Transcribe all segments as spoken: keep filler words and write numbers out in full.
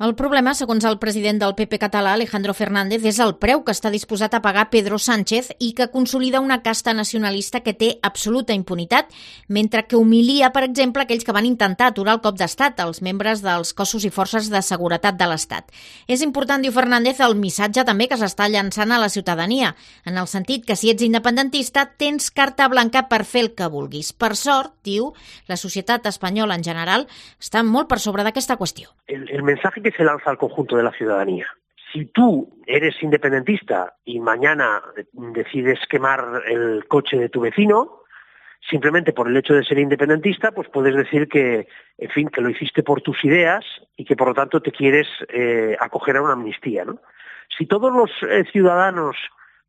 El problema, segons el president del P P català, Alejandro Fernández, és el preu que està disposat a pagar Pedro Sánchez i que consolida una casta nacionalista que té absoluta impunitat, mentre que humilia, per exemple, aquells que van intentar aturar el cop d'estat, els membres dels cossos i forces de seguretat de l'Estat. És important, diu Fernández, el missatge també que s'està llançant a la ciutadania, en el sentit que si ets independentista tens carta blanca per fer el que vulguis. Per sort, diu, la societat espanyola en general està molt per sobre d'aquesta qüestió. El, el mensaje que se lanza al conjunto de la ciudadanía. Si tú eres independentista y mañana decides quemar el coche de tu vecino, simplemente por el hecho de ser independentista, pues puedes decir que, en fin, que lo hiciste por tus ideas y que por lo tanto te quieres eh, acoger a una amnistía, ¿no? Si todos los eh, ciudadanos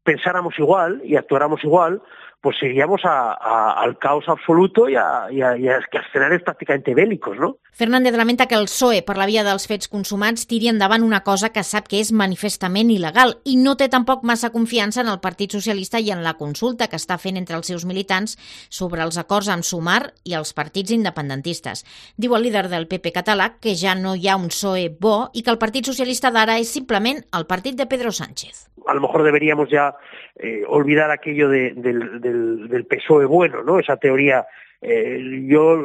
pensáramos igual y actuáramos igual, pues iríamos a, a, al caos absoluto y a, y, a, y a escenarios prácticamente bélicos, ¿no? Fernández lamenta que el P S O E, per la via dels fets consumats, tiri endavant una cosa que sap que és manifestament il·legal i no té tampoc massa confiança en el Partit Socialista i en la consulta que està fent entre els seus militants sobre els acords amb Sumar i els partits independentistes. Diu el líder del P P català que ja no hi ha un P S O E bo i que el Partit Socialista d'ara és simplement el partit de Pedro Sánchez. A lo mejor deberíamos ya eh, olvidar aquello de, del, del, del P S O E bueno, ¿no? Esa teoría. Eh, yo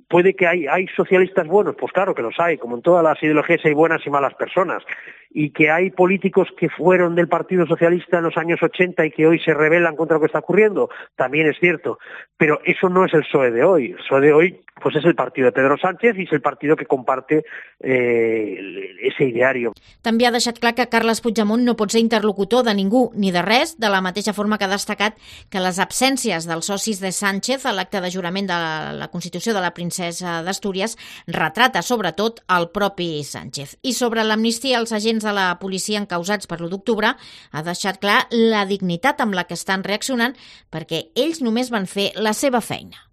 puede que hay, hay socialistas buenos, pues claro que los hay, como en todas las ideologías hay buenas y malas personas, y que hay políticos que fueron del Partido Socialista en los años ochenta y que hoy se rebelan contra lo que está ocurriendo, también es cierto, pero eso no es el P S O E de hoy. El P S O E de hoy pues es el partido de Pedro Sánchez y es el partido que comparte eh, ese ideario. També ha deixat clar que Carles Puigdemont no pot ser interlocutor de ningú ni de res, de la mateixa forma que ha destacat que les absències dels socis de Sánchez a l'acte de jurament de la Constitució de la princesa d'Astúries retrata sobretot el propi Sánchez. I sobre l'amnistia als agents de la policia encausats per l'u d'octubre ha deixat clar la dignitat amb la que estan reaccionant perquè ells només van fer la seva feina.